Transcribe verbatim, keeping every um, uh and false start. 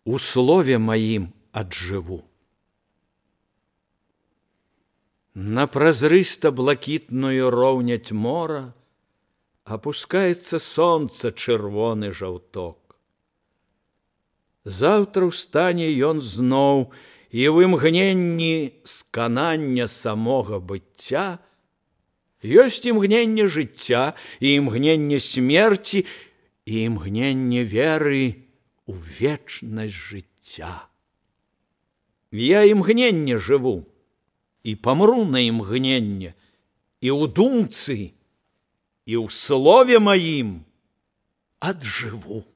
у слове маім аджыву. На празрыста-блакітную роўняць мора апускаецца сонца чырвоны жаўток. Заўтра ўстане ён зноў, і в імгненні сканання самога быцця ёсць імгненне жыцця, і імгненне смерці, і імгненне веры у вечнасць жыцця. Я імгненне жыву, і памру на імгненне, і ў думцы, і ў слове маім аджыву.